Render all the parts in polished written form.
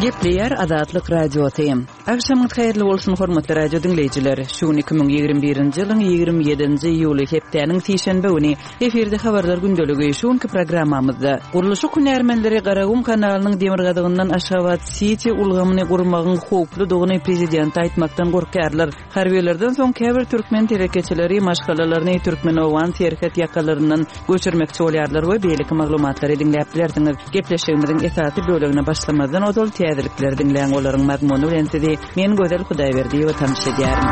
Gepleýär Azatlyk Radiosy. Agşamyňyz haýyrly bolsun, hormatly radio diňleýjiler! Şu gün 2021-nji ýylyň 27-nji iýuly, hepdäniň sişenbe güni. Efirde Habarlar gündeligi. Şu günki programmamyzda, Gurluşyk hünärmenleri Garagum kanalynyň demirgazygyndan Aşgabat-Siti ulgamyny gurmagyň howpludygyny prezidente aýtmakdan gorkýarlar. Harbylardan soň käbir türkmen telekeçileri maşgalalaryny türkmen-owgan serhet ýakalaryndan göçürmekçi bolýarlar we beýleki maglumatlary diňläp bilersiňiz. Gepleşigimiziň esasy bölegine başlamazdan ozal täzelikleri diňläň, olaryň mazmuny bilen sizi men Gözel Hudaýberdiýewa tanyş edýärin.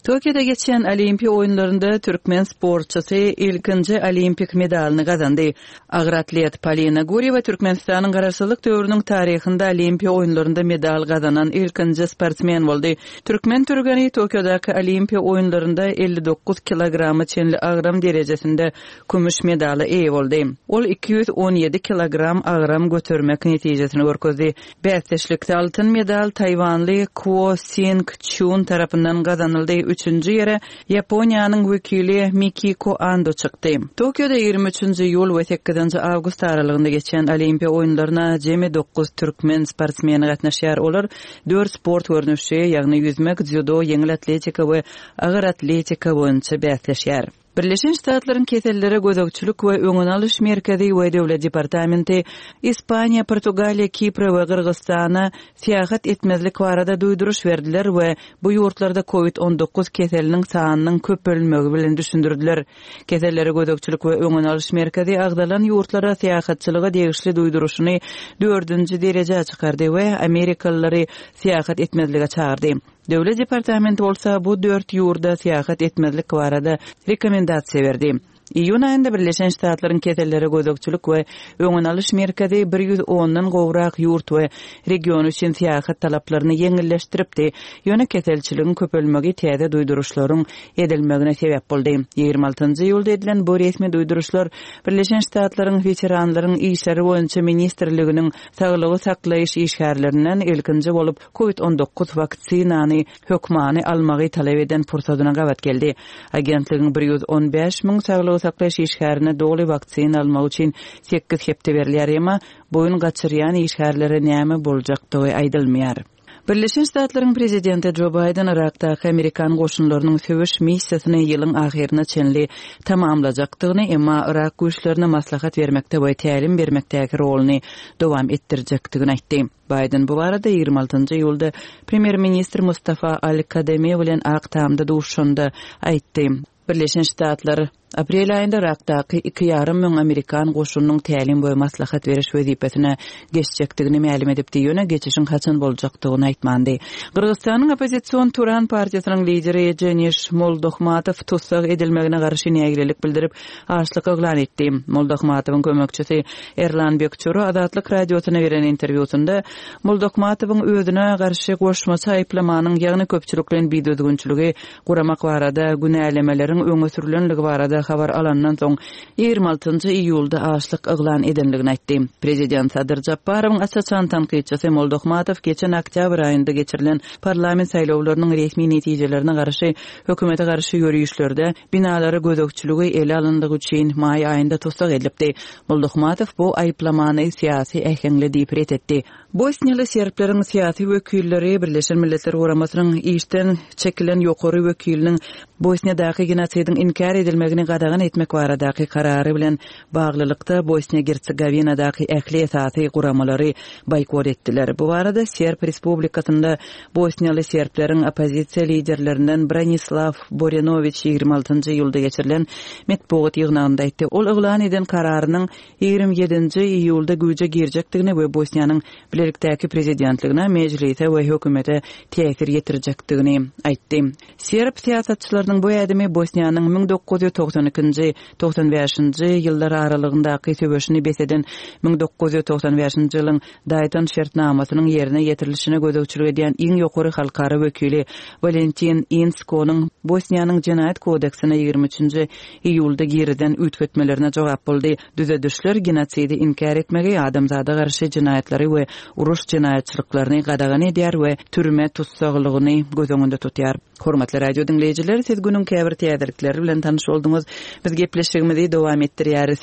Tokioda geçýän Olimpiýa oýunlarynda türkmen sportçysy ilkinji olimpik medalyny gazandy. Agyr atlet Polina Gurýewa Türkmenistanyň Garaşsyzlyk döwrüniň taryhynda Olimpiýa oýunlarynda medal gazanan ilkinji sportsmen boldy. Türkmen türgeni Tokiodaky Olimpiýa oýunlarynda 59 kilograma çenli agram derejesinde kümüş medala eýe boldy. Ol 217 kilogram agram götermek netijesini görkezdi. Bäsdeşlikde altyn medal taýwanly Kuo Sing Çun tarapyndan gazanyldy, üçünji ýere Ýaponiýanyň wekili Mikiko Ando çykdy. Tokioda 23 nji iýul we sekizinji awgust aralygynda geçýän Olimpiýa oýunlaryna jemi dokuz türkmen sportsmeni gatnaşýar. Olar dört sport görnüşi, ýagny ýüzmek, dzýudo, ýeňil atletika we agyr atletika boýunça bäsleşýär. Birleşen Ştatlaryň Kesellere gözegçilik we öňüni alyş merkezi we Döwlet departamenti Ispaniýa, Portugaliýa, Kipre we Gyrgyzystana syýahat etmezlik barada duýduryş berdiler we bu ýurtlarda Covid 19 keseliniň sanynyň köpelmegi bilen düşündirdiler. Kesellere gözegçilik we öňüni alyş merkezi agzalan ýurtlara syýahatçylyga degişli duýduryşyny dördünji derejä çykardy we amerikalylary syýahat etmezlige çagyrdy. Döwlet departamenti bolsa bu dört ýurda syýahat etmezlik barada rekomendasiýa berdi. Iýun aýynda Birleşen Ştatlaryň Kesellere gözegçilik we öňüni alyş merkezi bir ýüz ondan gowrak ýurt we region üçin syýahat talaplaryny ýeňilleşdiripdi, ýöne keselçiligiň köpelmegi täze duýduryşlaryň edilmegine sebäp boldy. 26 iýulda edilen bu resmi duýduryşlar Birleşen Ştatlaryň Weteranlaryň işleri boýunça ministrliginiň saglygy saklaýyş işgärlerinden ilkinji bolup Covid 19 waksinany hökmany almagy talap eden pursadyna gabat geldi. Agentligiň 115 müň saglygy saklaýyş işgärine doly waksina almak üçin sekiz hepde berilýär, emma boýun gaçyrýan işgärlere näme boljakdygy aýdylmaýar. Birleşen Ştatlaryň prezidenti Jo Baýden Yrakdaky amerikan goşunlarynyň söweş missiýasyny ýylyň ahyryna çenli tamamlajakdygyny, emma yrak güýçlerine maslahat bermekde we tälim bermekdäki roluny dowam etdirjekdigini aýtdy. Baýden bu barada 26 iýulda premýer-ministr Mustafa al-Kademi bilen Ak Tamda duşuşanda aýtdy. Birleşen Ştatlar aprel aýynda Yrakdaky iki ýarym müň amerikan goşunynyň tälim we maslahat beriş wezipesine geçjekdigini mälim edipdi, ýöne geçişiň haçan boljakdygyny aýtmandy. Gyrgyzystanyň oppozision Turan partiýasynyň lideri Jeniş Moldohmatow tussag edilmegine garşy nägilelik bildirip, açlyk yglan etdi. Moldahmatowyň kömekçisi Erlan Bekçuro Azatlyk Radiosyna beren interwýusynda Moldahmatowyň özüne garşy goşmaça aýyplamanyň, ýagny köpçülikleýin bidüzgünçiligi guramak barada günälemeleriň öňe sürlenligi barada habar alandan soň 26 iýulda açlyk yglan edenligini aýtdy. Prezident Sadyr Japarowyň aç-açan tankytçysy Moldahmatow geçen oktýabr aýynda geçirilen parlament saýlawlarynyň resmi netijelerine garşy hökümete garşy ýörişlerde Binalara gözegçiligi ele alyndygy üçin maý aýynda tussag edilipdi. Moldahmatow bu aýyplamany syýasy äheňli diýip ret etdi. Bosniýaly serbleriň syýasy wekilleri Birleşen Milletler Guramasynyň işden çekilen ýokary wekiliniň Bosniýadaky genosidiň inkär edilmegini gadagan etmek baradaky karary bilen baglylykda Bosniýa-Gersegowinadaky ähli esasy guramalary boýkot etdiler. Bu barada Serb Respublikasynda bosniýaly serbleriň oppozisiýa liderlerinden Branislaw Borenowiç 26 iýulda geçirilen metbugat ýygnagynda aýtdy. Ol yglan eden kararynyň 27 iýulda güýje girjekdigini we Bosniýanyň bilelikdäki prezidentligine, mejlise we hökümete täsir ýetirjekdigini aýtdy. Serb syýasatçylarynyň bu ädimi Bosniýanyň 1992-nji, 95-nji ýyllar aralygyndaky söweşini bes eden 1995-nji ýylyň Daýton şertnamasynyň ýerine ýetirilişine gözegçilik edýän iň ýokary halkara wekili Walentin Inskonyň Bosniýanyň Jenaýat kodeksine 23-nji iýulda girizen üýtgetmelerine jogap boldy. Düzedişler genosidi inkär etmegi, adamzada garşy jenaýatlary we uruş jenaýatçylyklaryny gadagan edýär we türme tussaglygyny göz öňünde tutýar. Hormatly radio diňleýjiler, siz günüň käbir täzelikleri bilen tanyş bolduňyz. Biz gepleşigimizi dowam etdirýäris.